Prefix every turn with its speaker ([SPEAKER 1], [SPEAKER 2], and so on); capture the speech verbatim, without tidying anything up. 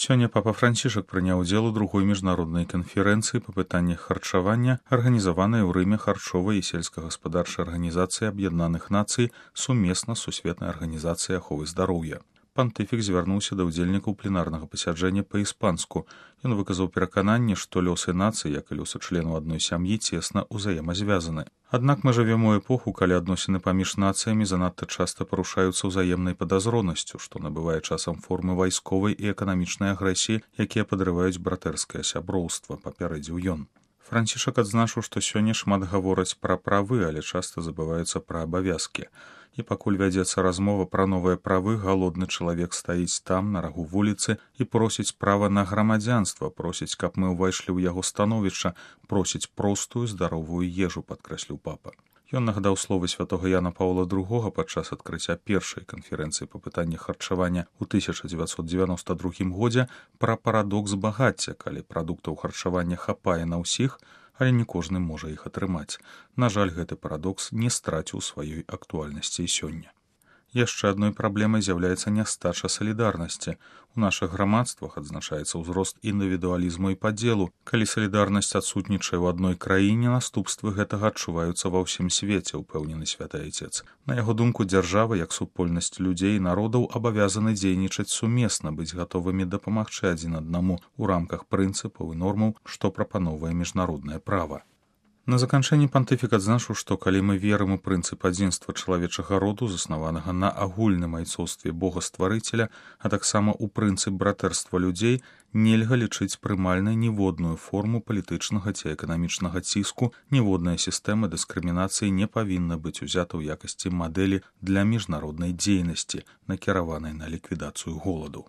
[SPEAKER 1] Сёння папа Францішак прыняў удзел у другой міжнароднай канферэнцыі па пытаннях харчавання, арганізаванай у Рыме харчовай і сельскагаспадарчай арганізацыі Аб'яднаных Нацый сумесна з Сусветнай арганізацыяй аховы здароўя. Пантыфік звярнуўся да ўдзельнікаў пленарнага пасяджэння па-іспанску. Ён выказаў перакананне, што лёсы нацый, як і лёсы членаў адной сям'і, цесна ўзаемазвязаны. Аднак мы жывем у эпоху, калі адносіны паміж нацыямі занадта часта парушаюцца ўзаемнай падазронасцю, што набывае часам формы вайсковай і эканамічнай агрэсіі, якія падрываюць братэрскае сяброўства, папярэдзіў ён. Францішак адзначыў, што сёння шмат гавораць пра правы, але часта забываюцца пра абавязкі. І пакуль вядзецца размова пра новыя правы, галодны чалавек стаіць там, на рагу вуліцы, і просіць права на грамадзянства, просіць, каб мы ўвайшлі ў яго становішча, просіць простую, здаровую ежу, падкрэсліў папа. Ён нагадаў словы святога Яна Паўла другога падчас адкрыцця першай канферэнцыі па пытаннях харчавання ў тысяча дзевяцьсот дзевяноста другім годзе пра парадокс багацця, калі прадуктаў харчавання хапае на ўсіх, але не кожны можа іх атрымаць. На жаль, гэты парадокс не страціў сваёй актуальнасці і сёння. Яшчэ адной праблемай з'яўляецца нястача салідарнасці. У нашых грамадствах адзначаецца ўзрост індывідуалізму і падзелу. Калі салідарнасць адсутнічае ў адной краіне, наступствы гэтага адчуваюцца ва ўсім свеце, упэўнены святы айцец. На яго думку, дзяржава, як супольнасць людзей і народаў, абавязаны дзейнічаць сумесна, быць гатовымі дапамагчы адзін аднаму ў рамках прынцыпаў і нормаў, што прапаноўвае міжнароднае права. На заканчэнні пантыфік адзначыў, што калі мы верым у прынцып адзінства чалавечага роду, заснаванага на агульным айцоўстве Бога-стварыцеля, а таксама ў прынцып братэрства людзей, нельга лічыць прымальнай ніводную форму палітычнага ці эканамічнага ціску, ніводная сістэма дыскрымінацыі не павінна быць узята ў якасці мадэлі для міжнароднай дзейнасці, накіраванай на ліквідацыю голаду.